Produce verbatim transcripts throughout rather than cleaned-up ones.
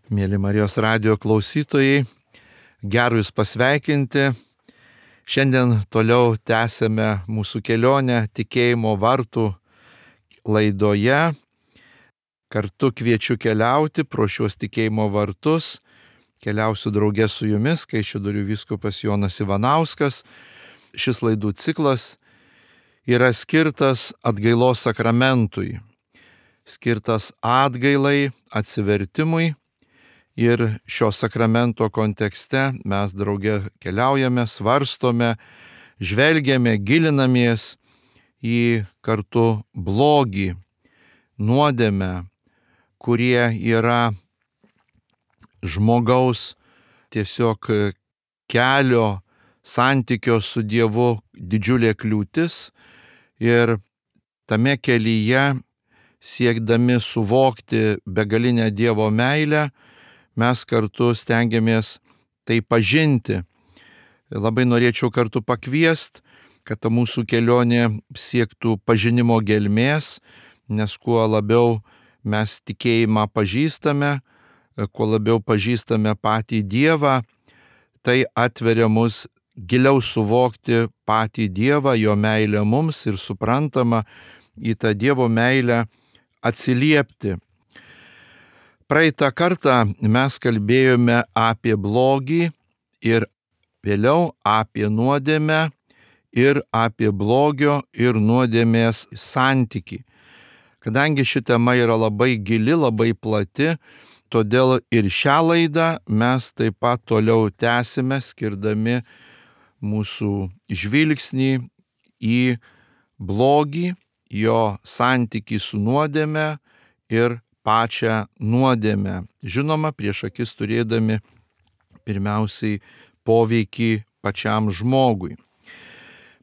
Mėly Marijos radijo klausytojai, geru Jūs pasveikinti. Šiandien toliau tęsėme mūsų kelionę tikėjimo vartų laidoje. Kartu kviečiu keliauti pro šios tikėjimo vartus. Keliausiu draugė su Jumis, Kaišiadorių vyskupas Jonas Ivanauskas. Šis laidų ciklas yra skirtas atgailos sakramentui, skirtas atgailai, atsivertimui. Ir šio sakramento kontekste mes drauge keliaujame, svarstome, žvelgiame, gilinamės į kartu blogį, nuodėmę, kurie yra žmogaus tiesiog kelio, santykio su Dievu didžiulė kliūtis. Ir tame kelyje, siekdami suvokti begalinę Dievo meilę, mes kartu stengiamės tai pažinti. Labai norėčiau kartu pakviesti, kad ta mūsų kelionė siektų pažinimo gelmės, nes kuo labiau mes tikėjimą pažįstame, kuo labiau pažįstame patį Dievą, tai atveria mus giliau suvokti patį Dievą, jo meilę mums ir suprantama į tą Dievo meilę atsiliepti. Praeitą kartą mes kalbėjome apie blogį ir vėliau apie nuodėmę ir apie blogio ir nuodėmės santykį. Kadangi ši tema yra labai gili, labai plati, todėl ir šią laidą mes taip pat toliau tęsime, skirdami mūsų žvilgsnį į blogį, jo santykį su nuodėme ir pačią nuodėmę. Žinoma, prieš akis turėdami pirmiausiai poveikį pačiam žmogui.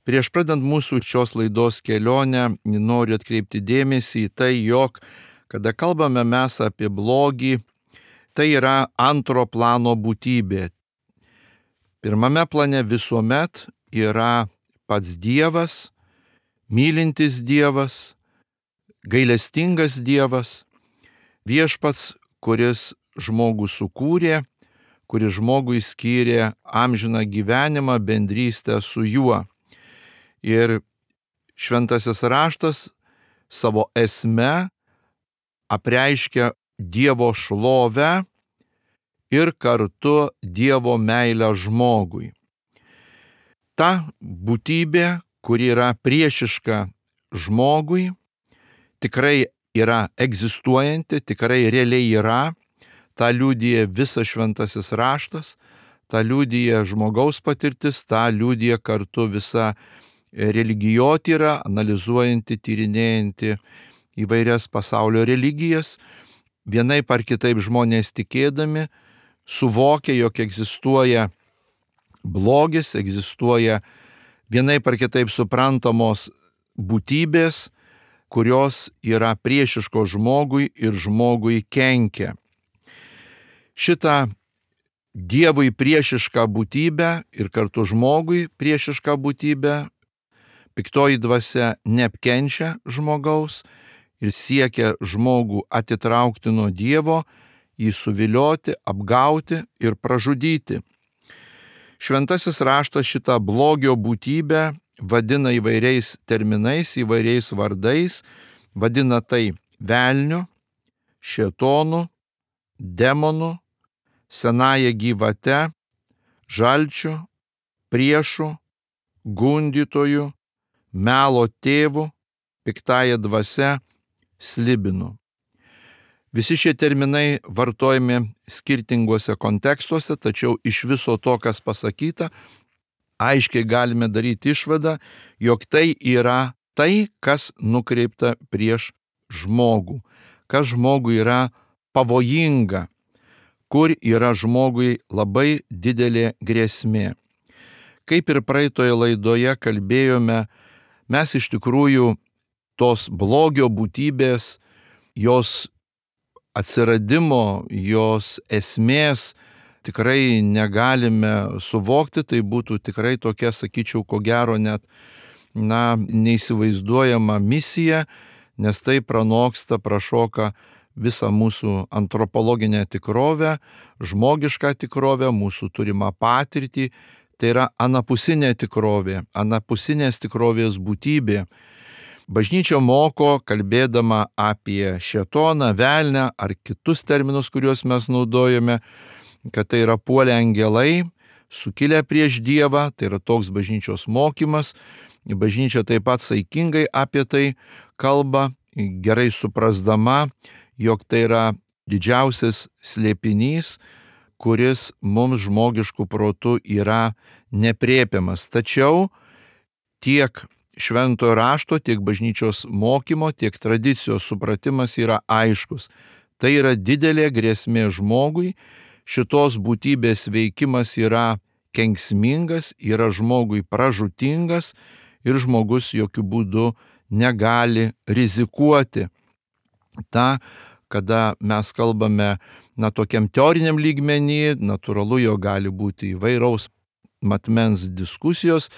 Prieš pradant mūsų šios laidos kelionę, noriu atkreipti dėmesį į tai, jog kada kalbame mes apie blogį, tai yra antro plano būtybė. Pirmame plane visuomet yra pats Dievas, mylintis Dievas, gailestingas Dievas, viešpats, kuris žmogų sukūrė, kuris žmogui skyrė amžiną gyvenimą, bendrystę su juo. Ir šventasis raštas savo esme apreiškia Dievo šlovę ir kartu Dievo meilę žmogui. Ta būtybė, kuri yra priešiška žmogui, tikrai yra egzistuojanti, tikrai realiai yra, tą liudija visas šventasis raštas, tą liudija žmogaus patirtis, tą liudija kartu visa religijotyra, analizuojanti, tyrinėjanti įvairias pasaulio religijas. Vienaip ar kitaip žmonės tikėdami suvokia, jog egzistuoja blogis, egzistuoja vienaip ar kitaip suprantamos būtybės, kurios yra priešiškos žmogui ir žmogui kenkia. Šitą Dievui priešišką būtybę ir kartu žmogui priešišką būtybę piktoji dvasia neapkenčia žmogaus ir siekia žmogų atitraukti nuo Dievo, jį suvilioti, apgauti ir pražudyti. Šventasis raštas šitą blogio būtybę vadina įvairiais terminais, įvairiais vardais, vadina tai velniu, šėtonu, demonu, senąja gyvate, žalčiu, priešu, gundytoju, melo tėvu, piktąja dvasia, slibinu. Visi šie terminai vartojami skirtinguose kontekstuose, tačiau iš viso to, kas pasakyta, aiškiai galime daryti išvadą, jog tai yra tai, kas nukreipta prieš žmogų, kas žmogui yra pavojinga, kur yra žmogui labai didelė grėsmė. Kaip ir praeitoje laidoje kalbėjome, mes iš tikrųjų tos blogio būtybės, jos atsiradimo, jos esmės tikrai negalime suvokti, tai būtų tikrai tokia, sakyčiau, ko gero net, na, neįsivaizduojama misija, nes tai pranoksta, prašoka visą mūsų antropologinę tikrovę, žmogišką tikrovę, mūsų turimą patirtį. Tai yra anapusinė tikrovė, anapusinės tikrovės būtybė. Bažnyčia moko, kalbėdama apie šėtoną, velnę ar kitus terminus, kuriuos mes naudojame, kad tai yra puolę angelai, sukilę prieš Dievą, tai yra toks bažnyčios mokymas. Bažnyčia taip pat saikingai apie tai kalba, gerai suprasdama, jog tai yra didžiausias slėpinys, kuris mums žmogiškų protų yra nepriepiamas. Tačiau tiek šventojo rašto, tiek bažnyčios mokymo, tiek tradicijos supratimas yra aiškus. Tai yra didelė grėsmė žmogui, šitos būtybės veikimas yra kenksmingas, yra žmogui pražūtingas ir žmogus jokių būdų negali rizikuoti. Ta, kada mes kalbame na tokiam teoriniam lygmenį, natūralu, jo gali būti įvairaus matmens diskusijos,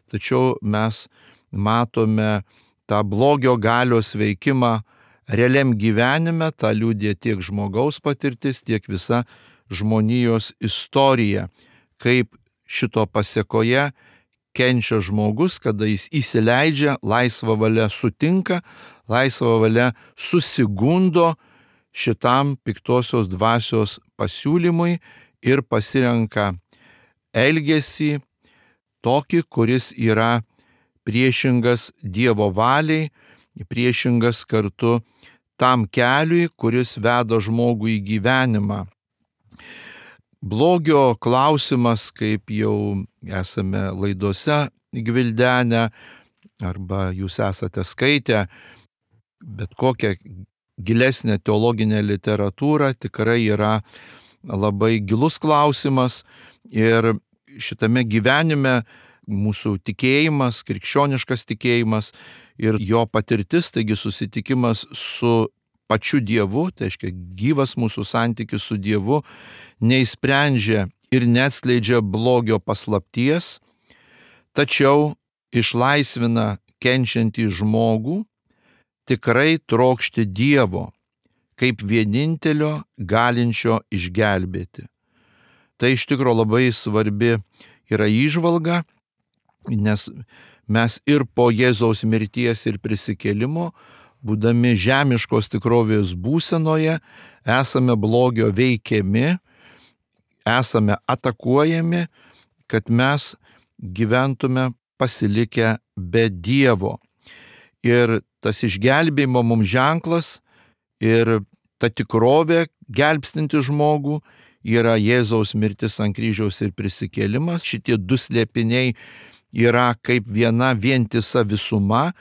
tačiau mes matome tą blogio galios veikimą realiam gyvenime, tą liudija tiek žmogaus patirtis, tiek visa žmonijos istorija, kaip šito pasėkoje kenčia žmogus, kada jis įsileidžia, laisvą valią sutinka, laisvą valią susigundo šitam piktosios dvasios pasiūlymui ir pasirenka elgesį tokį, kuris yra priešingas Dievo valiai, priešingas kartu tam keliui, kuris veda žmogų į gyvenimą. Blogio klausimas, kaip jau esame laidose gvildenę, arba jūs esate skaitę, bet kokią gilesnę teologinę literatūrą, tikrai yra labai gilus klausimas ir šitame gyvenime mūsų tikėjimas, krikščioniškas tikėjimas ir jo patirtis, taigi susitikimas su pačiu Dievu, tai reiškia gyvas mūsų santykis su Dievu, neįsprendžia ir neatskleidžia blogio paslapties, tačiau išlaisvina kenčiantį žmogų tikrai trokšti Dievo, kaip vienintelio galinčio išgelbėti. Tai iš tikro labai svarbi yra įžvalga, nes mes ir po Jėzaus mirties ir prisikėlimo, būdami žemiškos tikrovės būsenoje, esame blogio veikiami, esame atakuojami, kad mes gyventume pasilikę be Dievo. Ir tas išgelbėjimo mums ženklas ir ta tikrovė gelbstinti žmogų yra Jėzaus mirtis ant kryžiaus ir prisikėlimas. Šitie du slėpiniai yra kaip viena vientisa visuma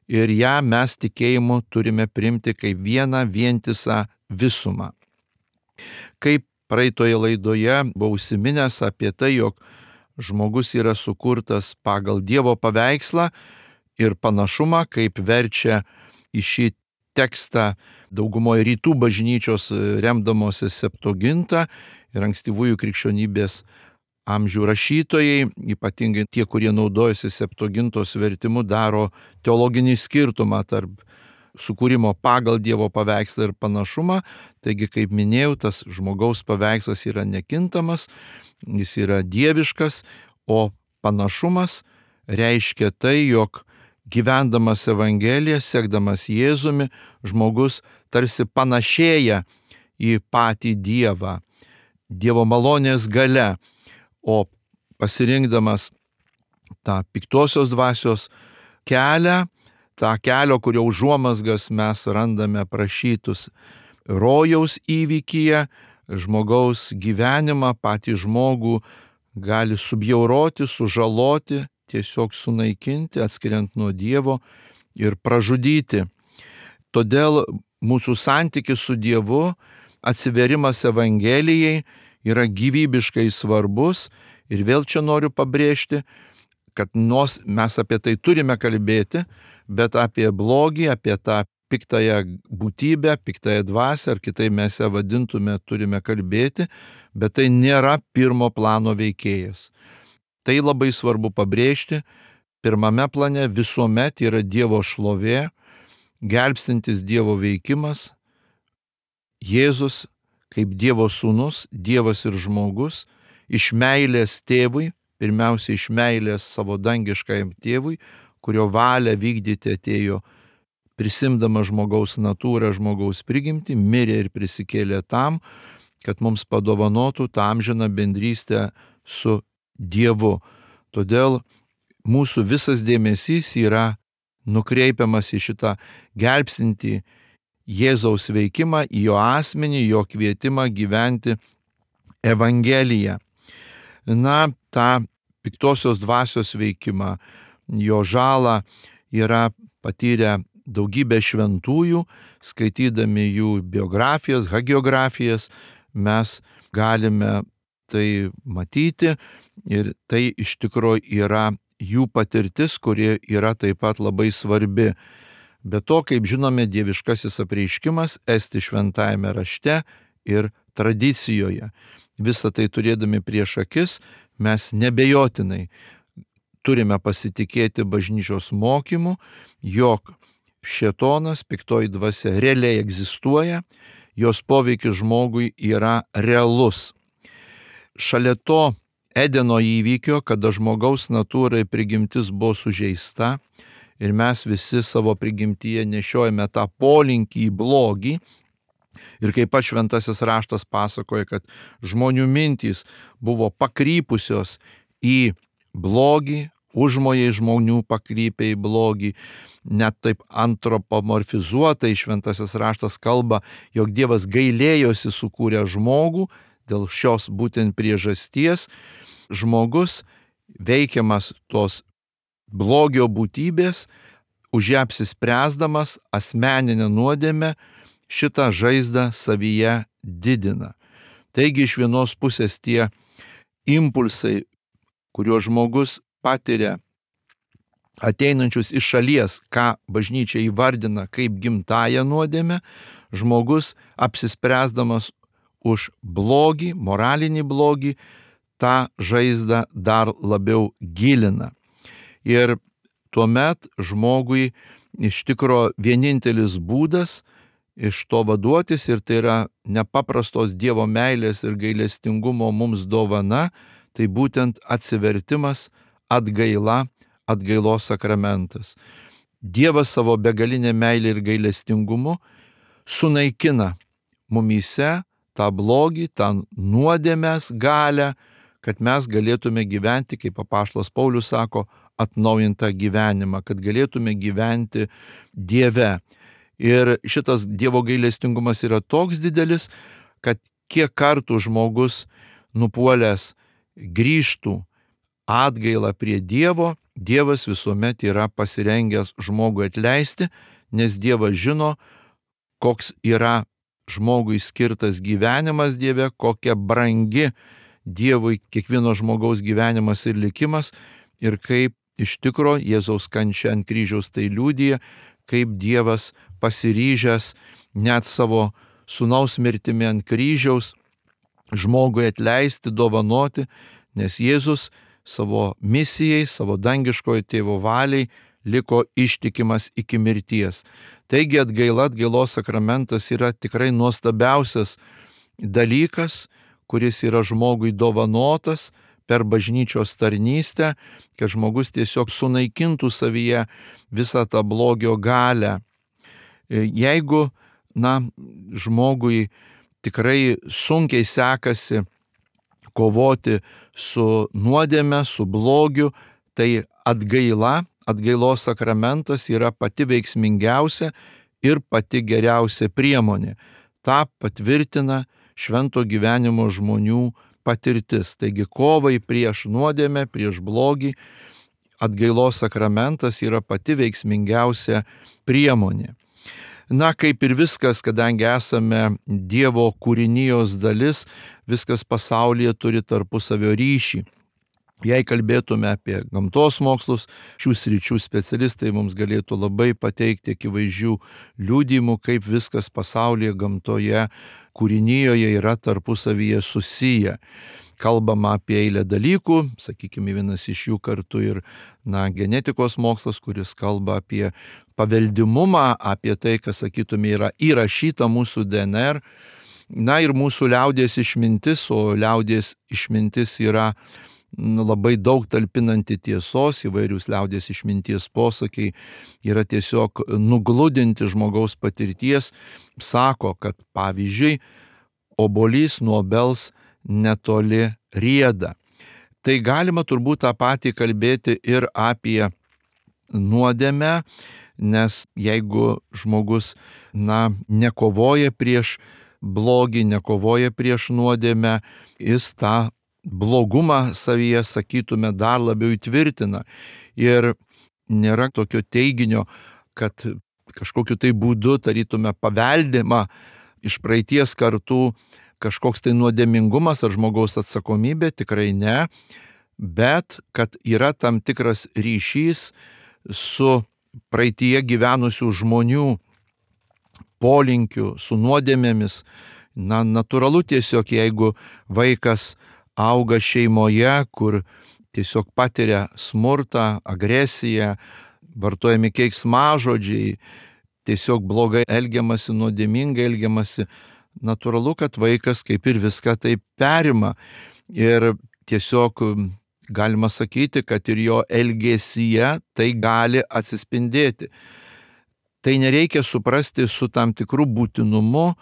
ir ją mes tikėjimu turime priimti kaip vieną vientisą visumą. Kaip praeitoje laidoje buvau užsiminęs apie tai, jog žmogus yra sukurtas pagal Dievo paveikslą ir panašumą, kaip verčia į šį tekstą daugumoje rytų bažnyčios remdamosi Septuaginta ir ankstyvųjų krikščionybės amžių rašytojai, ypatingai tie, kurie naudojasi Septuagintos vertimu, daro teologinį skirtumą tarp sukūrimo pagal Dievo paveikslą ir panašumą. Taigi, kaip minėjau, tas žmogaus paveikslas yra nekintamas, jis yra dieviškas, o panašumas reiškia tai, jog gyvendamas Evangeliją, sekdamas Jėzumi, žmogus tarsi panašėja į patį Dievą, Dievo malonės galia, o pasirinkdamas tą piktosios dvasios kelią, tą kelio, kurio užuomazgas mes randame aprašytus rojaus įvykyje, žmogaus gyvenimą, patį žmogų gali subjauroti, sužaloti, tiesiog sunaikinti, atskiriant nuo Dievo ir pražudyti. Todėl mūsų santykis su Dievu, atsiverimas Evangelijai yra gyvybiškai svarbus ir vėl čia noriu pabrėžti, kad nors mes apie tai turime kalbėti, bet apie blogį, apie tą piktąją būtybę, piktąją dvasią, ar kitaip mes ją vadintume, turime kalbėti, bet tai nėra pirmo plano veikėjas. Tai labai svarbu pabrėžti, pirmame plane visuomet yra Dievo šlovė, gelbstintis Dievo veikimas, Jėzus kaip Dievo sūnus, Dievas ir žmogus, iš meilės tėvui, pirmiausia iš meilės savo dangiškajam tėvui, kurio valią vykdyti atėjo prisimdama žmogaus natūrą, žmogaus prigimtį, mirė ir prisikėlė tam, kad mums padovanotų tą amžiną bendrystę su Dievu. Todėl mūsų visas dėmesys yra nukreipiamas į šitą gelbstintį Jėzaus veikimą, į jo asmenį, jo kvietimą gyventi Evangeliją. Na, tą piktosios dvasios veikimą, jo žalą yra patyrę daugybė šventųjų, skaitydami jų biografijas, hagiografijas, mes galime tai matyti ir tai iš tikrųjų yra jų patirtis, kuri yra taip pat labai svarbi. Be to, kaip žinome, dieviškasis apreiškimas esti šventajame rašte ir tradicijoje. Visą tai turėdami prieš akis, mes nebejotinai turime pasitikėti bažnyčios mokymu, jog šėtonas, piktoji dvasia realiai egzistuoja, jos poveikis žmogui yra realus. Šalia to Edeno įvykio, kada žmogaus natūrai prigimtis buvo sužeista ir mes visi savo prigimtyje nešiojame tą polinkį į blogį, ir kaip pats šventasis raštas pasakoja, kad žmonių mintys buvo pakrypusios į blogį, užmojai žmonių pakrypė į blogį, net taip antropomorfizuotai šventasis raštas kalba, jog Dievas gailėjosi sukūrę žmogų, dėl šios būtent priežasties žmogus veikiamas tos blogio būtybės, už ją apsispręsdamas asmeninę nuodėmę, šitą žaizdą savyje didina. Taigi iš vienos pusės tie impulsai, kuriuos žmogus patiria ateinančius iš šalies, ką bažnyčia įvardina kaip gimtąją nuodėmę, žmogus apsispręsdamas už blogį, moralinį blogį, tą žaizdą dar labiau gilina. Ir tuomet žmogui iš tikro vienintelis būdas iš to vaduotis, ir tai yra nepaprastos Dievo meilės ir gailestingumo mums dovana, tai būtent atsivertimas, atgaila, atgailos sakramentas. Dievas savo begalinę meilę ir gailestingumu sunaikina mumyse tą blogį, tą nuodėmės galią, kad mes galėtume gyventi, kaip apaštalas Paulius sako, atnaujintą gyvenimą, kad galėtume gyventi Dieve. Ir šitas Dievo gailestingumas yra toks didelis, kad kiek kartų žmogus nupuolęs grįžtų atgailą prie Dievo, Dievas visuomet yra pasirengęs žmogui atleisti, nes Dievas žino, koks yra žmogui skirtas gyvenimas Dieve, kokia brangi Dievui kiekvieno žmogaus gyvenimas ir likimas, ir kaip iš tikro Jėzaus kančia ant kryžiaus tai liudija, kaip Dievas pasiryžęs net savo sūnaus mirtimi ant kryžiaus žmogui atleisti, dovanoti, nes Jėzus savo misijai, savo dangiškojo tėvo valiai liko ištikimas iki mirties. Taigi atgaila, atgailos sakramentas yra tikrai nuostabiausias dalykas, kuris yra žmogui dovanotas per bažnyčios tarnystę, kad žmogus tiesiog sunaikintų savyje visą tą blogio galią. Jeigu, na, žmogui tikrai sunkiai sekasi kovoti su nuodėme, su blogiu, tai atgaila, atgailos sakramentas yra pati veiksmingiausia ir pati geriausia priemonė. Ta patvirtina švento gyvenimo žmonių patirtis. Taigi kovai prieš nuodėmę, prieš blogį, atgailos sakramentas yra pati veiksmingiausia priemonė. Na, kaip ir viskas, kadangi esame Dievo kūrinijos dalis, viskas pasaulyje turi tarpusavio ryšį. Jei kalbėtume apie gamtos mokslus, šių sričių specialistai mums galėtų labai pateikti akivaizdžių liudijimų, kaip viskas pasaulyje, gamtoje, kūrinijoje yra tarpusavyje susiję. Kalbama apie eilę dalykų, sakykime, vienas iš jų kartu ir na, genetikos mokslas, kuris kalba apie paveldimumą, apie tai, kas, sakytume, yra įrašyta mūsų D N R. Na ir mūsų liaudies išmintis, o liaudies išmintis yra labai daug talpinanti tiesos, įvairius liaudies išminties posakiai yra tiesiog nugludinti žmogaus patirties, sako, kad pavyzdžiui, obuolys nuo obels netoli rieda. Tai galima turbūt tą patį kalbėti ir apie nuodėmę, nes jeigu žmogus, na, nekovoja prieš blogį, nekovoja prieš nuodėmę, jis tą blogumą savyje, sakytume, dar labiau įtvirtina. Ir nėra tokio teiginio, kad kažkokiu tai būdu, tarytume, paveldima iš praeities kartų kažkoks tai nuodėmingumas ar žmogaus atsakomybė, tikrai ne, bet kad yra tam tikras ryšys su praeityje gyvenusių žmonių polinkiu, su nuodėmėmis. Na, natūralu tiesiog, jeigu vaikas auga šeimoje, kur tiesiog patiria smurtą, agresiją, vartojami keiksmažodžiai, tiesiog blogai elgiamasi, nuodėmingai elgiamasi, natūralu, kad vaikas kaip ir viską taip perima. Ir tiesiog galima sakyti, kad ir jo elgesyje tai gali atsispindėti. Tai nereikia suprasti su tam tikru būtinumu,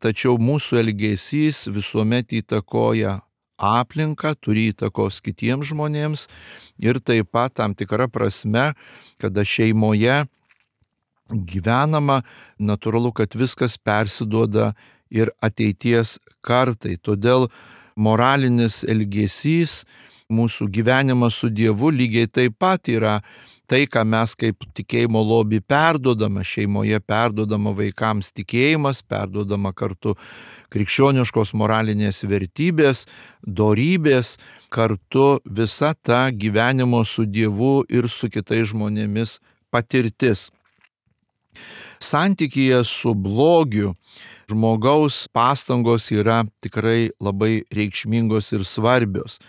tačiau mūsų elgesys visuomet įtakoja aplinką, turi įtakos kitiems žmonėms ir taip pat tam tikra prasme, kada šeimoje gyvenama, natūralu, kad viskas persiduoda ir ateities kartai. Todėl moralinis elgesys, mūsų gyvenimas su Dievu lygiai taip pat yra tai, ką mes kaip tikėjimo lobį perduodama, šeimoje perduodama vaikams tikėjimas, perduodama kartu krikščioniškos moralinės vertybės, dorybės, kartu visa ta gyvenimo su Dievu ir su kitais žmonėmis patirtis. Santykyje su blogiu žmogaus pastangos yra tikrai labai reikšmingos ir svarbios.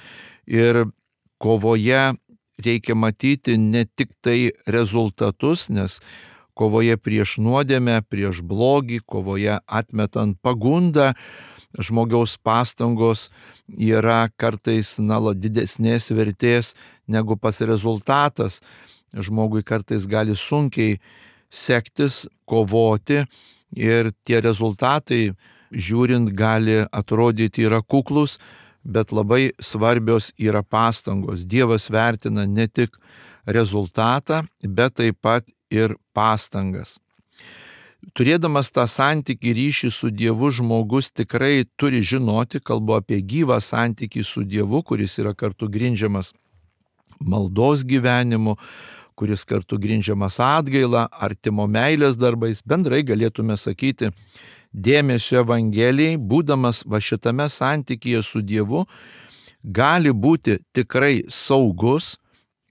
Ir kovoje reikia matyti ne tik tai rezultatus, nes kovoje prieš nuodėmę, prieš blogį, kovoje atmetant pagundą, žmogaus pastangos yra kartais na, didesnės vertės negu pas rezultatas. Žmogui kartais gali sunkiai sektis, kovoti ir tie rezultatai, žiūrint, gali atrodyti yra kuklus, bet labai svarbios yra pastangos. Dievas vertina ne tik rezultatą, bet taip pat ir pastangas. Turėdamas tą santykį ryšį su Dievu, žmogus tikrai turi žinoti, kalbu apie gyvą santykį su Dievu, kuris yra kartu grindžiamas maldos gyvenimu, kuris kartu grindžiamas atgaila, artimo meilės darbais, bendrai galėtume sakyti, dėmesio Evangelijai, būdamas va šitame santykyje su Dievu, gali būti tikrai saugus,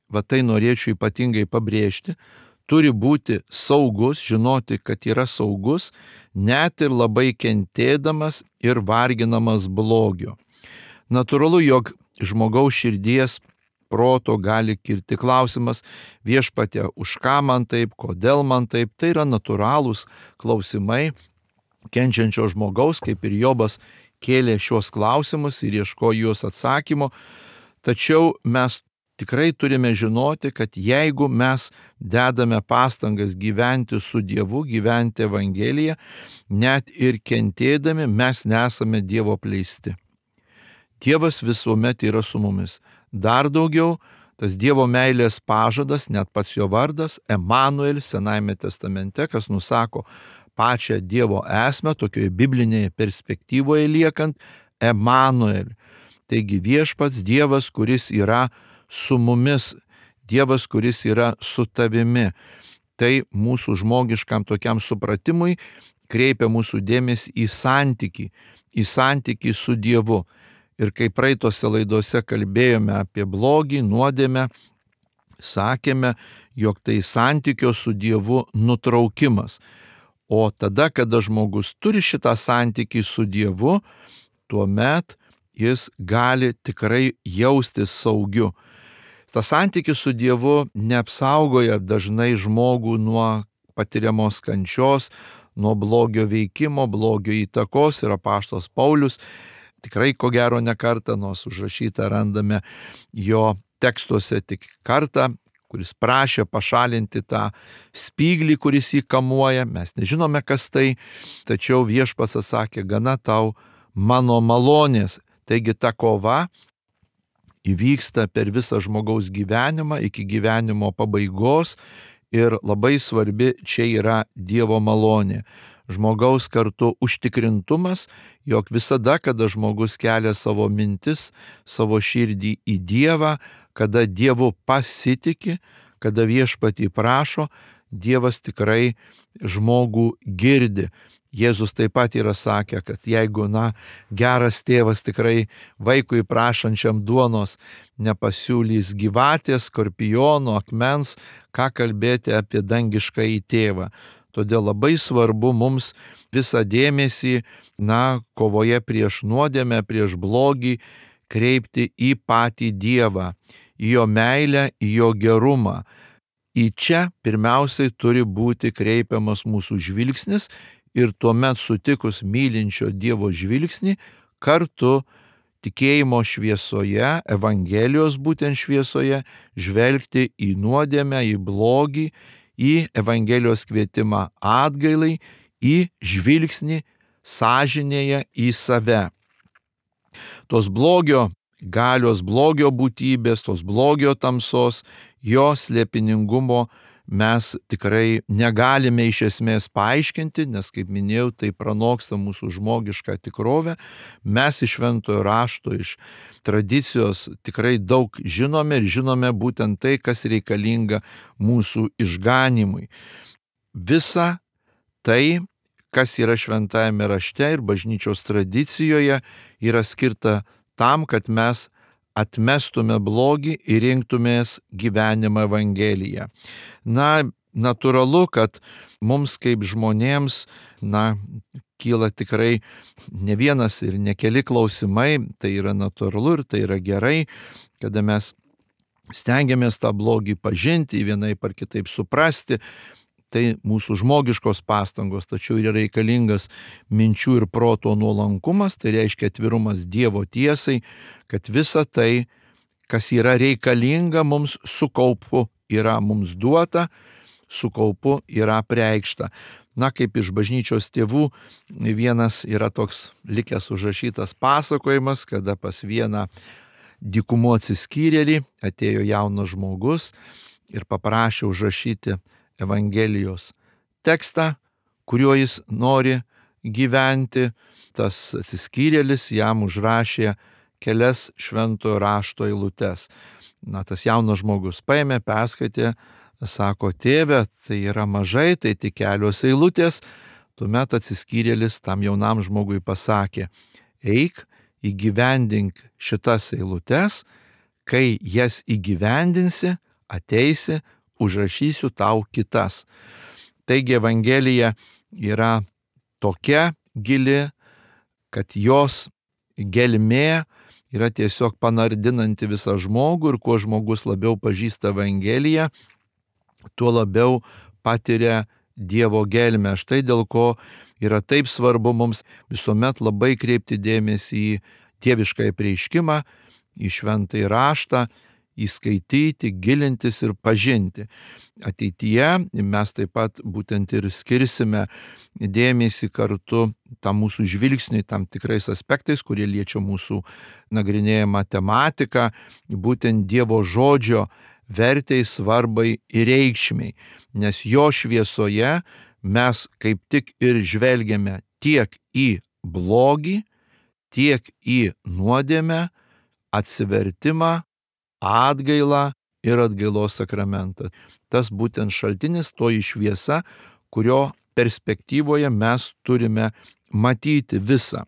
va tai norėčiau ypatingai pabrėžti, turi būti saugus, žinoti, kad yra saugus, net ir labai kentėdamas ir varginamas blogio. Natūralu, jog žmogaus širdies proto gali kilti klausimas, viešpatie, už ką man taip, kodėl man taip, tai yra natūralūs klausimai kenčiančio žmogaus, kaip ir Jobas kėlė šios klausimus ir ieškojo juos atsakymo, tačiau mes tikrai turime žinoti, kad jeigu mes dedame pastangas gyventi su Dievu, gyventi Evangeliją, net ir kentėdami mes nesame Dievo apleisti. Dievas visuomet yra su mumis. Dar daugiau, tas Dievo meilės pažadas, net pats jo vardas, Emanuelis Senajame testamente, kas nusako pačią Dievo esmę, tokioje biblinėje perspektyvoje liekant, Emanuelį. Taigi viešpats Dievas, kuris yra su mumis, Dievas, kuris yra su tavimi. Tai mūsų žmogiškam tokiam supratimui kreipia mūsų dėmesį į santykį, į santykį su Dievu. Ir kai praeitose laidose kalbėjome apie blogį, nuodėmę, sakėme, jog tai santykio su Dievu nutraukimas. O tada, kada žmogus turi šitą santykį su Dievu, tuomet jis gali tikrai jaustis saugiu. Tas santykis su Dievu neapsaugoja dažnai žmogų nuo patiriamos kančios, nuo blogio veikimo, blogio įtakos. Ir apaštalas Paulius tikrai ko gero ne kartą, nors užrašytą randame jo tekstuose tik kartą, kuris prašė pašalinti tą spyglį, kuris jį kamuoja. Mes nežinome, kas tai, tačiau viešpats atsakė, gana tau mano malonės. Taigi ta kova įvyksta per visą žmogaus gyvenimą iki gyvenimo pabaigos ir labai svarbi čia yra Dievo malonė. Žmogaus kartu užtikrintumas, jog visada, kada žmogus kelia savo mintis, savo širdį į Dievą, kada Dievu pasitiki, kada viešpatį prašo, Dievas tikrai žmogų girdi. Jėzus taip pat yra sakę, kad jeigu, na, geras tėvas tikrai vaikui prašančiam duonos nepasiūlys gyvatės, skorpiono, akmens, ką kalbėti apie dangiškąjį tėvą. Todėl labai svarbu mums visą dėmesį, na, kovoje prieš nuodėmę, prieš blogį, kreipti į patį Dievą, į jo meilę, į jo gerumą. Į čia pirmiausiai turi būti kreipiamas mūsų žvilgsnis ir tuomet sutikus mylinčio Dievo žvilgsnį, kartu tikėjimo šviesoje, Evangelijos būtent šviesoje, žvelgti į nuodėmę, į blogį, į Evangelijos kvietimą atgailai, į žvilgsnį sąžinėje į save. Tos blogio galios, blogio būtybės, tos blogio tamsos, jo slėpiningumo mes tikrai negalime iš esmės paaiškinti, nes, kaip minėjau, tai pranoksta mūsų žmogišką tikrovę. Mes iš šventojo rašto, iš tradicijos tikrai daug žinome ir žinome būtent tai, kas reikalinga mūsų išganimui. Visa tai, kas yra šventajame rašte ir bažnyčios tradicijoje, yra skirta tam, kad mes atmestume blogį ir rinktumės gyvenimą Evangeliją. Na, natūralu, kad mums kaip žmonėms, na, kyla tikrai ne vienas ir ne keli klausimai, tai yra natūralu ir tai yra gerai, kada mes stengiamės tą blogį pažinti, vienaip ar kitaip suprasti. Tai mūsų žmogiškos pastangos, tačiau yra reikalingas minčių ir proto nuolankumas, tai reiškia atvirumas Dievo tiesai, kad visa tai, kas yra reikalinga mums su kaupu, yra mums duota, su kaupu yra preikšta. Na, kaip iš bažnyčios tėvų vienas yra toks likęs užrašytas pasakojimas, kada pas vieną dykumo atsiskyrėlį atėjo jaunas žmogus ir paprašė užrašyti Evangelijos tekstą, kuriuo jis nori gyventi. Tas atsiskyrėlis jam užrašė kelias šventojo rašto eilutes. Na, tas jaunas žmogus paėmė, perskaitė, sako, tėve, tai yra mažai, tai tik kelios eilutės. Tuomet atsiskyrėlis tam jaunam žmogui pasakė, eik, įgyvendink šitas eilutes, kai jas įgyvendinsi, ateisi, užrašysiu tau kitas. Taigi Evangelija yra tokia gili, kad jos gelmė yra tiesiog panardinanti visą žmogų ir kuo žmogus labiau pažįsta Evangeliją, tuo labiau patiria Dievo gelmę. Štai dėl ko yra taip svarbu mums visuomet labai kreipti dėmesį į dieviškąjį apreiškimą, į šventąjį raštą, įskaityti, gilintis ir pažinti. Ateityje mes taip pat būtent ir skirsime dėmesį kartu tam mūsų žvilgsniui, tam tikrais aspektais, kurie liečia mūsų nagrinėjamą tematiką, būtent Dievo žodžio vertei, svarbai ir reikšmiai, nes jo šviesoje mes kaip tik ir žvelgiame tiek į blogį, tiek į nuodėmę, atsivertimą, atgailą ir atgailos sakramentą. Tas būtent šaltinis, toji šviesa, kurio perspektyvoje mes turime matyti visą.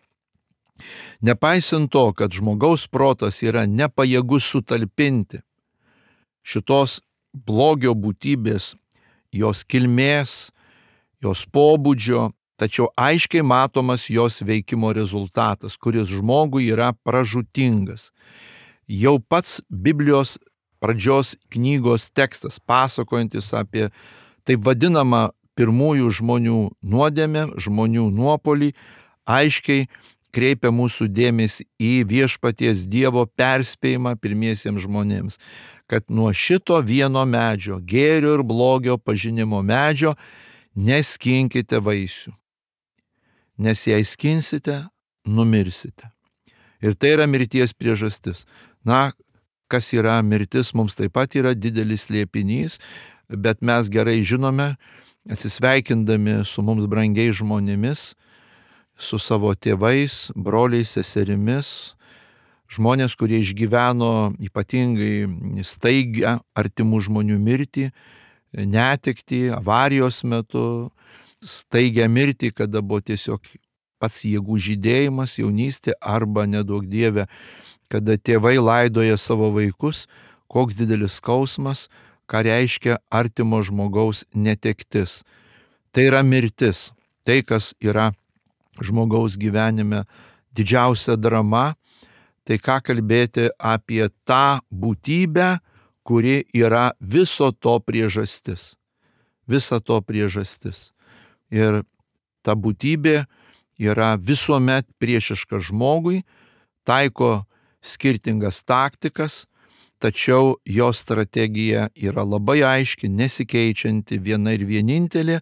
Nepaisant to, kad žmogaus protas yra nepajėgus sutalpinti šitos blogio būtybės, jos kilmės, jos pobūdžio, tačiau aiškiai matomas jos veikimo rezultatas, kuris žmogui yra pražūtingas. Jau pats Biblijos pradžios knygos tekstas, pasakojantis apie taip vadinamą pirmųjų žmonių nuodėmę, žmonių nuopolį, aiškiai kreipia mūsų dėmesį į viešpaties Dievo perspėjimą pirmiesiems žmonėms, kad nuo šito vieno medžio, gėrio ir blogio pažinimo medžio, neskinkite vaisių, nes jei skinsite, numirsite. Ir tai yra mirties priežastis. Na, kas yra mirtis, mums taip pat yra didelis slėpinys, bet mes gerai žinome, atsisveikindami su mums brangiais žmonėmis, su savo tėvais, broliais, seserimis, žmonės, kurie išgyveno ypatingai staigią artimų žmonių mirtį, netektį, avarijos metu, staigią mirtį, kada buvo tiesiog pats jėgų žydėjimas, jaunystė, arba neduok Dieve, kada tėvai laidoja savo vaikus, koks didelis skausmas, ką reiškia artimo žmogaus netektis. Tai yra mirtis, tai, kas yra žmogaus gyvenime didžiausia drama, tai ką kalbėti apie tą būtybę, kuri yra viso to priežastis. Visa to priežastis. Ir ta būtybė yra visuomet priešiška žmogui, taiko skirtingas taktikas, tačiau jo strategija yra labai aiški, nesikeičianti, viena ir vienintelė: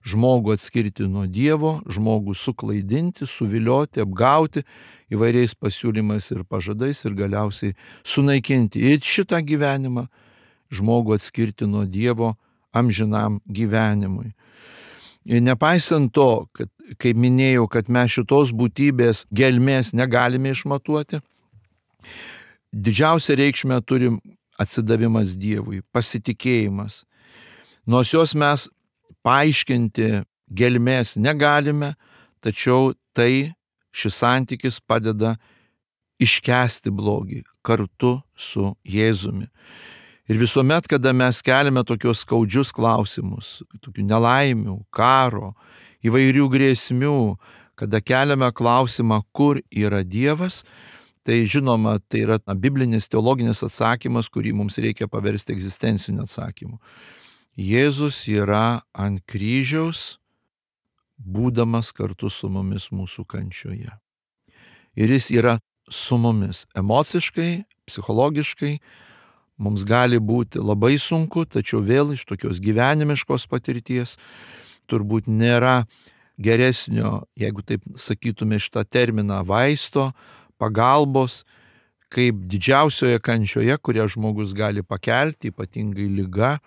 žmogų atskirti nuo Dievo, žmogų suklaidinti, suvilioti, apgauti įvairiais pasiūlymais ir pažadais ir galiausiai sunaikinti ir šitą gyvenimą, žmogų atskirti nuo Dievo amžinam gyvenimui. Ir nepaisant to, kad, kaip minėjau, kad mes šitos būtybės gelmės negalime išmatuoti, didžiausią reikšmę turim atsidavimas Dievui, pasitikėjimas. Nors jos mes paaiškinti gelmės negalime, tačiau tai šis santykis padeda iškęsti blogį kartu su Jėzumi. Ir visuomet, kada mes keliame tokios skaudžius klausimus, tokių nelaimių, karo, įvairių grėsmių, kada keliame klausimą, kur yra Dievas, tai žinoma, tai yra na, biblinis teologinis atsakymas, kurį mums reikia paversti egzistenciniu atsakymu. Jėzus yra ant kryžiaus, būdamas kartu su mumis mūsų kančioje. Ir jis yra su mumis emociškai, psichologiškai. Mums gali būti labai sunku, tačiau vėl iš tokios gyvenimiškos patirties turbūt nėra geresnio, jeigu taip sakytume šitą terminą, vaisto, pagalbos, kaip didžiausioje kančioje, kurią žmogus gali pakelti, ypatingai liga,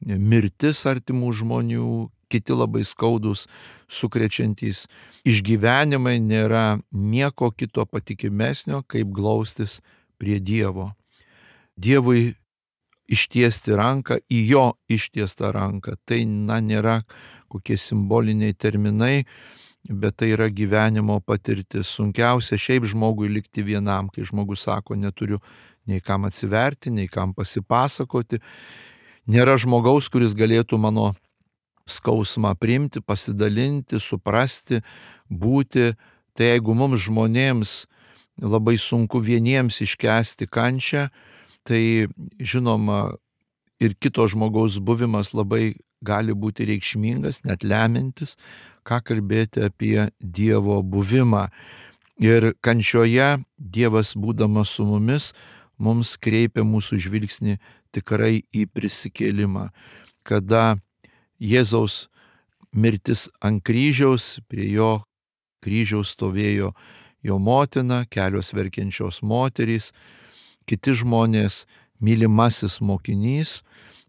mirtis artimų žmonių, kiti labai skaudus, sukrečiantys išgyvenimai, nėra nieko kito patikimesnio, kaip glaustis prie Dievo. Dievui ištiesti ranką, į jo ištiestą ranką. Tai na, nėra kokie simboliniai terminai, bet tai yra gyvenimo patirtis. Sunkiausia šiaip žmogui likti vienam, kai žmogus sako, neturiu nei kam atsiverti, nei kam pasipasakoti. Nėra žmogaus, kuris galėtų mano skausmą priimti, pasidalinti, suprasti, būti. Tai jeigu mums žmonėms labai sunku vieniems iškęsti kančią, tai žinoma ir kito žmogaus buvimas labai gali būti reikšmingas, net lemiantis, ką kalbėti apie Dievo buvimą. Ir kančioje Dievas, būdamas su mumis, mums kreipia mūsų žvilgsnį tikrai į prisikėlimą, kada Jėzaus mirtis ant kryžiaus, prie jo kryžiaus stovėjo jo motina, kelios verkiančios moterys, kiti žmonės, mylimasis mokinys,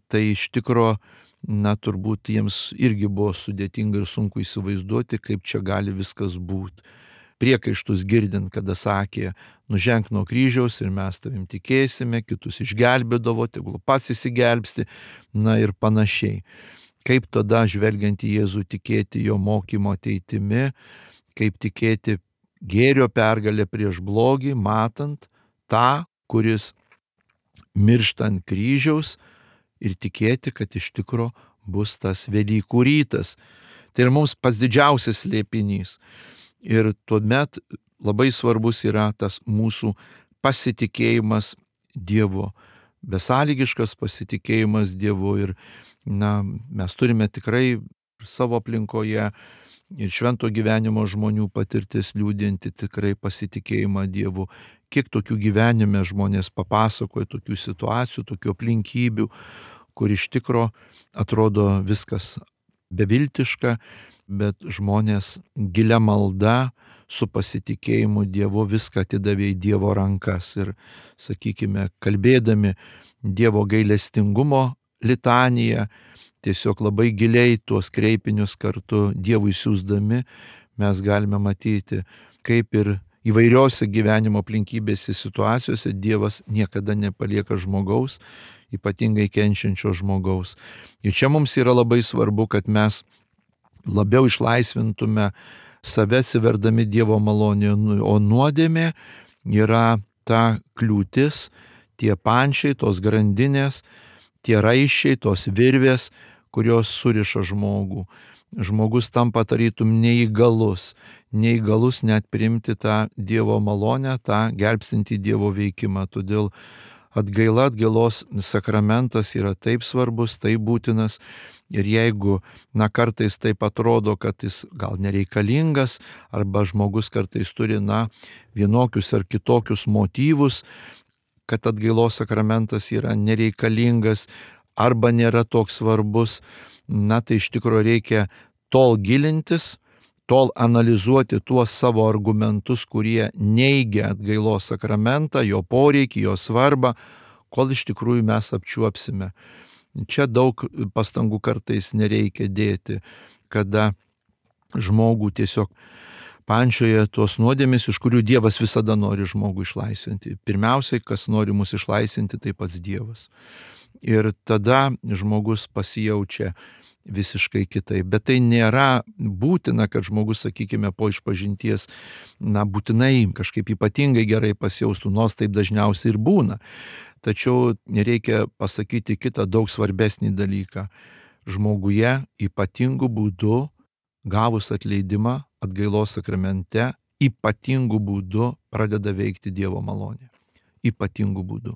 tai iš tikro, na, turbūt jiems irgi buvo sudėtinga ir sunku įsivaizduoti, kaip čia gali viskas būti. Priekaištus girdint, kada sakė, nuženk nuo kryžiaus ir mes tavim tikėsime, kitus išgelbėdavo, tegul pats įsigelbsti, na ir panašiai. Kaip tada, žvelgiant į Jėzų, tikėti jo mokymo ateitimi, kaip tikėti gėrio pergalę prieš blogį, matant tą, kuris miršta ant kryžiaus, ir tikėti, kad iš tikro bus tas Velykų rytas. Tai ir mums pats didžiausias slėpinys. Ir tuomet labai svarbus yra tas mūsų pasitikėjimas Dievu, besąlygiškas pasitikėjimas Dievu. Ir na, mes turime tikrai savo aplinkoje, ir švento gyvenimo žmonių patirtis liūdinti tikrai pasitikėjimą Dievu. Kiek tokių gyvenime žmonės papasakoja, tokių situacijų, tokių aplinkybių, kur iš tikro atrodo viskas beviltiška, bet žmonės gilia malda, su pasitikėjimu Dievu viską atidavė į Dievo rankas. Ir, sakykime, kalbėdami Dievo gailestingumo litaniją, tiesiog labai giliai tuos kreipinius kartu Dievui siųsdami, mes galime matyti, kaip ir įvairiose gyvenimo aplinkybėse situacijose Dievas niekada nepalieka žmogaus, ypatingai kenčiančio žmogaus. Ir čia mums yra labai svarbu, kad mes labiau išlaisvintume save atsiverdami Dievo malonėje, o nuodėmė yra ta kliūtis, tie pančiai, tos grandinės, tie raiščiai, tos virvės, kurios suriša žmogų. Žmogus tampa tarytum neįgalus, neįgalus net priimti tą Dievo malonę, tą gelbstintį Dievo veikimą. Todėl atgaila, atgailos sakramentas yra taip svarbus, taip būtinas. Ir jeigu, na, kartais taip atrodo, kad jis gal nereikalingas, arba žmogus kartais turi, na, vienokius ar kitokius motyvus, kad atgailos sakramentas yra nereikalingas arba nėra toks svarbus, na, tai iš tikrųjų reikia tol gilintis, tol analizuoti tuos savo argumentus, kurie neigia atgailos sakramentą, jo poreikį, jo svarbą, kol iš tikrųjų mes apčiuopsime. Čia daug pastangų kartais nereikia dėti, kada žmogų tiesiog pančioje tuos nuodėmės, iš kurių Dievas visada nori žmogų išlaisvinti. Pirmiausiai, kas nori mus išlaisvinti, tai pats Dievas. Ir tada žmogus pasijaučia visiškai kitaip. Bet tai nėra būtina, kad žmogus, sakykime, po išpažinties, na, būtinai kažkaip ypatingai gerai pasijaustų, nors taip dažniausiai ir būna. Tačiau reikia pasakyti kitą daug svarbesnį dalyką. Žmoguje ypatingų būdų, gavus atleidimą atgailos sakramente, ypatingų būdų pradeda veikti Dievo malonė. Ypatingų būdų.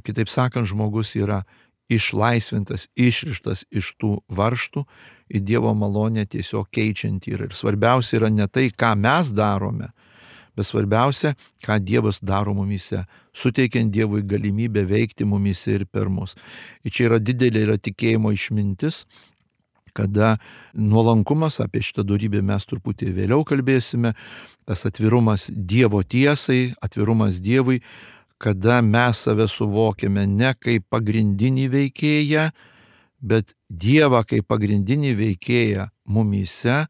Kitaip sakant, žmogus yra išlaisvintas, išrištas iš tų varžtų, į Dievo malonę tiesiog keičianti. Ir svarbiausia yra ne tai, ką mes darome, bet svarbiausia, ką Dievas daro mumise, suteikiant Dievui galimybę veikti mumise ir per mus. Ir čia yra didelė yra tikėjimo išmintis, kada nuolankumas, apie šitą dorybę mes truputį vėliau kalbėsime, tas atvirumas Dievo tiesai, atvirumas Dievui, kada mes save suvokiame ne kaip pagrindinį veikėją, bet Dievą kaip pagrindinį veikėją mumise,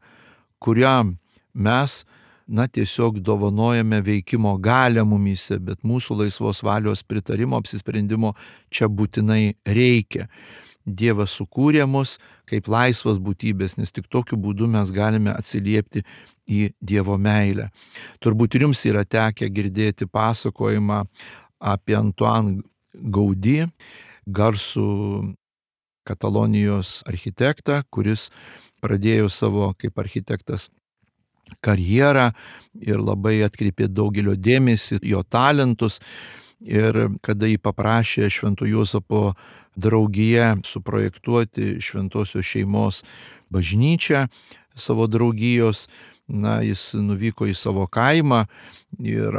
kuriam mes, na, tiesiog dovanojame veikimo galią mumise, bet mūsų laisvos valios pritarimo, apsisprendimo čia būtinai reikia. Dievas sukūrė mus kaip laisvas būtybės, nes tik tokiu būdu mes galime atsiliepti į Dievo meilę. Turbūt ir jums yra tekę girdėti pasakojimą apie Antoine Gaudí, garsų Katalonijos architektą, kuris pradėjo savo kaip architektas karjerą ir labai atkreipė daugelio dėmesį, jo talentus. Ir kada jį paprašė Švento Juozapo draugija suprojektuoti šventosios šeimos bažnyčią savo draugijos, na, jis nuvyko į savo kaimą ir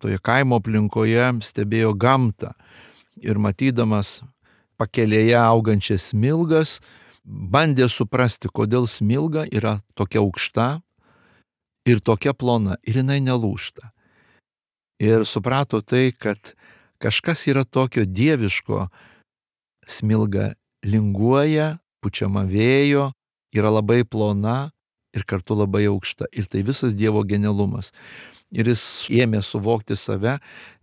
toje kaimo aplinkoje stebėjo gamtą. Ir matydamas pakelėje augančias smilgas, bandė suprasti, kodėl smilga yra tokia aukšta ir tokia plona, ir jinai nelūžta. Ir suprato tai, kad kažkas yra tokio dieviško, smilga linguoja, pučiama vėjo, yra labai plona ir kartu labai aukšta. Ir tai visas Dievo genialumas. Ir jis ėmė suvokti save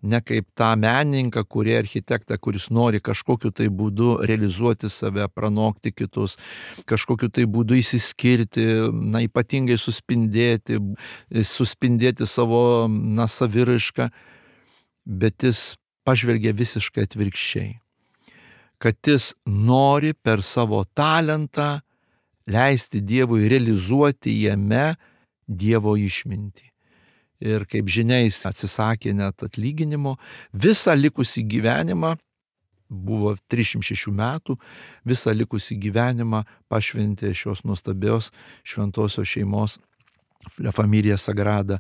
ne kaip tą menininką, kurį architektą, kuris nori kažkokiu tai būdu realizuoti save, pranokti kitus, kažkokiu tai būdu įsiskirti, na, ypatingai suspindėti, suspindėti savo, na, saviraišką, bet jis pažvelgia visiškai atvirkščiai. Kad jis nori per savo talentą leisti Dievui realizuoti jame Dievo išmintį. Ir kaip žinia, jis atsisakė net atlyginimo, visą likusį gyvenimą buvo trisdešimt šešių metų, visą likusį gyvenimą pašventė šios nuostabios šventosios šeimos La Familia Sagrada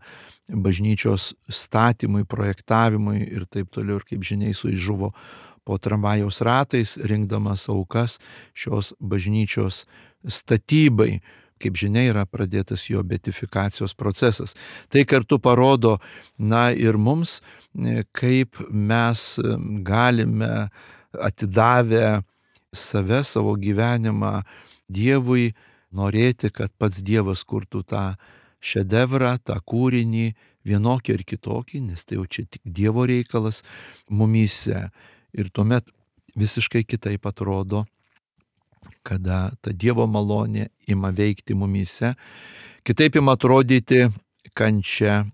bažnyčios statymui, projektavimui ir taip toliau. Ir kaip žinia, jis žuvo po tramvajaus ratais, rinkdamas aukas šios bažnyčios statybai. Kaip žinia, yra pradėtas jo beatifikacijos procesas. Tai kartu parodo, na ir mums, kaip mes galime atidavę save, savo gyvenimą Dievui, norėti, kad pats Dievas kurtų tą šedevrą, tą kūrinį, vienokį ar kitokį, nes tai jau čia tik Dievo reikalas mumyse. Ir tuomet visiškai kitaip atrodo, kada ta Dievo malonė ima veikti mumyse, kitaip ima atrodyti kančia,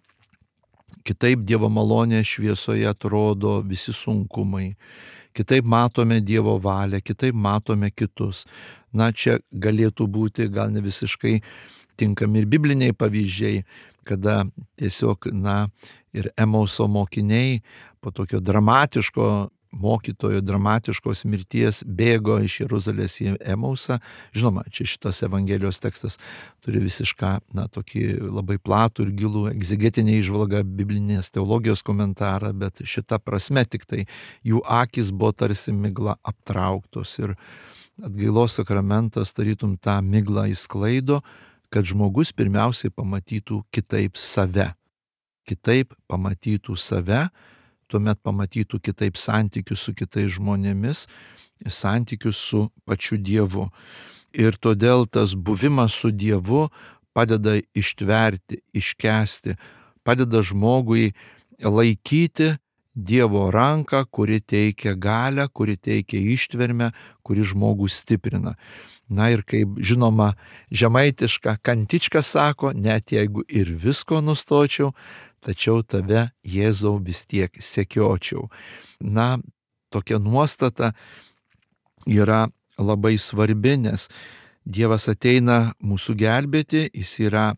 kitaip Dievo malonė šviesoje atrodo visi sunkumai, kitaip matome Dievo valią, kitaip matome kitus. Na, čia galėtų būti gal ne visiškai tinkami ir bibliniai pavyzdžiai, kada tiesiog, na, ir Emauso mokiniai po tokio dramatiško mokytojo, dramatiškos mirties bėgo iš Jeruzalės į Emausą. Žinoma, čia šitas Evangelijos tekstas turi visišką, na, tokį labai platų ir gilų egzegetinę įžvalgą, biblinės teologijos komentarą, bet šita prasme tik tai jų akys buvo tarsi migla aptrauktos ir atgailos sakramentas tarytum tą miglą išsklaido, kad žmogus pirmiausiai pamatytų kitaip save. Kitaip pamatytų save, tuomet pamatytų kitaip santykius su kitais žmonėmis, santykius su pačiu Dievu. Ir todėl tas buvimas su Dievu padeda ištverti, iškęsti, padeda žmogui laikyti Dievo ranką, kuri teikia galią, kuri teikia ištvermę, kuri žmogų stiprina. Na ir kaip žinoma, žemaitiška kantička sako, net jeigu ir visko nustočiau, tačiau tave, Jėzau, vis tiek sekiočiau. Na, tokia nuostata yra labai svarbi, nes Dievas ateina mūsų gelbėti, jis yra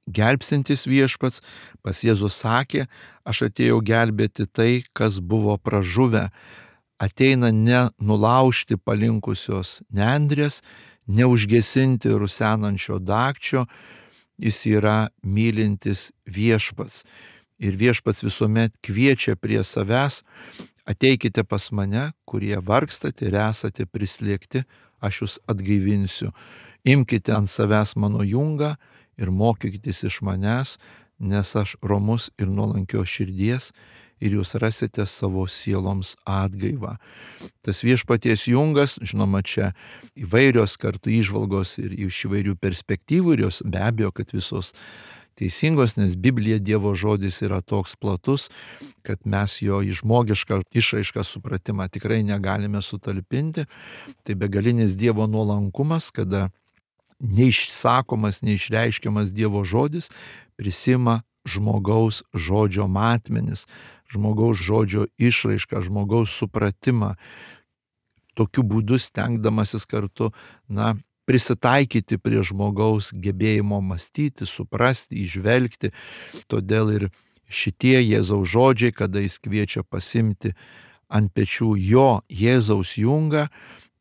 gelbstintis viešpats. Pas Jėzus sakė, aš atėjau gelbėti tai, kas buvo pražuvę. Ateina ne nulaužti palinkusios nendrės, neužgesinti rusenančio dagčio, jis yra mylintis viešpats. Ir viešpats visuomet kviečia prie savęs, ateikite pas mane, kurie vargstate ir esate prislėgti, aš jūs atgaivinsiu. Imkite ant savęs mano jungą ir mokykitės iš manęs, nes aš romus ir nuolankios širdies, ir jūs rasite savo sieloms atgaivą. Tas viešpaties jungas, žinoma, čia įvairios kartu įžvalgos ir iš įvairių perspektyvų, ir jos be abejo, kad visos teisingos, nes Biblija, Dievo žodis yra toks platus, kad mes jo į žmogišką išraišką supratimą tikrai negalime sutalpinti. Tai begalinis Dievo nuolankumas, kada neišsakomas, neišreiškiamas Dievo žodis prisima žmogaus žodžio matmenis, žmogaus žodžio išraišką, žmogaus supratimą, tokiu būdu stengdamasis kartu, na, prisitaikyti prie žmogaus gebėjimo mąstyti, suprasti, įžvelgti. Todėl ir šitie Jėzaus žodžiai, kada jis kviečia pasimti ant pečių jo Jėzaus jungą,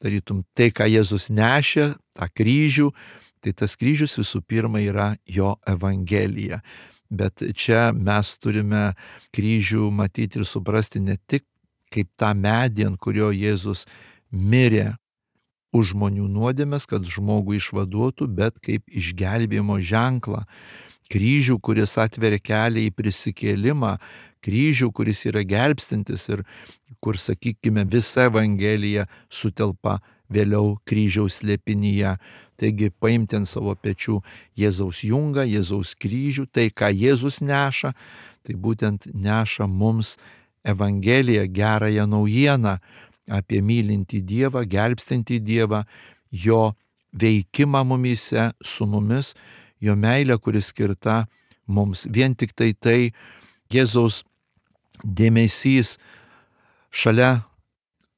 tarytum tai, ką Jėzus nešė, tą kryžių, tai tas kryžius visų pirma yra jo Evangelija. Bet čia mes turime kryžių matyti ir suprasti ne tik kaip tą medį, ant kurio Jėzus mirė už žmonių nuodėmes, kad žmogų išvaduotų, bet kaip išgelbėjimo ženklą. Kryžių, kuris atveria kelią į prisikėlimą, kryžių, kuris yra gelbstintis ir kur, sakykime, visa Evangelija sutelpa vėliau kryžiaus slėpinyje. Taigi paimti ant savo pečių Jėzaus jungą, Jėzaus kryžių, tai ką Jėzus neša, tai būtent neša mums Evangeliją, gerąją naujieną apie mylintį Dievą, gelbstintį Dievą, jo veikimą mumyse, su mumis, jo meilę, kuri skirta mums. Vien tik tai tai Jėzaus dėmesys šalia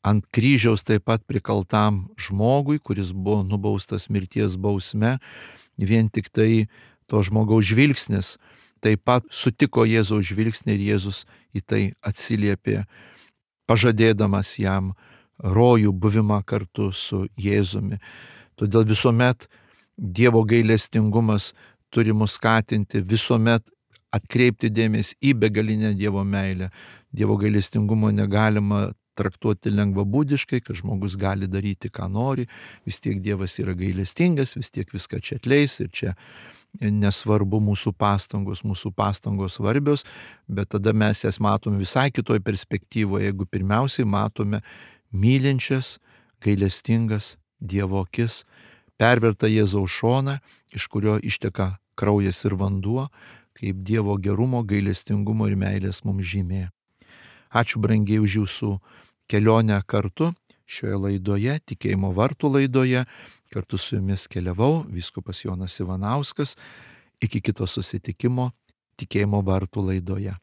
ant kryžiaus taip pat prikaltam žmogui, kuris buvo nubaustas mirties bausme, vien tik tai to žmogaus žvilgsnis taip pat sutiko Jėzaus žvilgsnį ir Jėzus į tai atsiliepė, pažadėdamas jam rojų, buvimą kartu su Jėzumi. Todėl visuomet Dievo gailestingumas turi mus skatinti, visuomet atkreipti dėmesį į begalinę Dievo meilę. Dievo gailestingumo negalima traktuoti lengvabūdiškai, kad žmogus gali daryti, ką nori, vis tiek Dievas yra gailestingas, vis tiek viską čia atleis ir čia nesvarbu mūsų pastangos, mūsų pastangos svarbios, bet tada mes jas matome visai kitoj perspektyvoje, jeigu pirmiausiai matome mylinčias, gailestingas Dievo akis, pervertą Jėzaus šoną, iš kurio išteka kraujas ir vanduo, kaip Dievo gerumo, gailestingumo ir meilės mums žymė. Ačiū brangiai už jūsų kelionę kartu šioje laidoje, Tikėjimo vartų laidoje. Kartu su jumis keliavau vyskupas Jonas Ivanauskas. Iki kito susitikimo Tikėjimo vartų laidoje.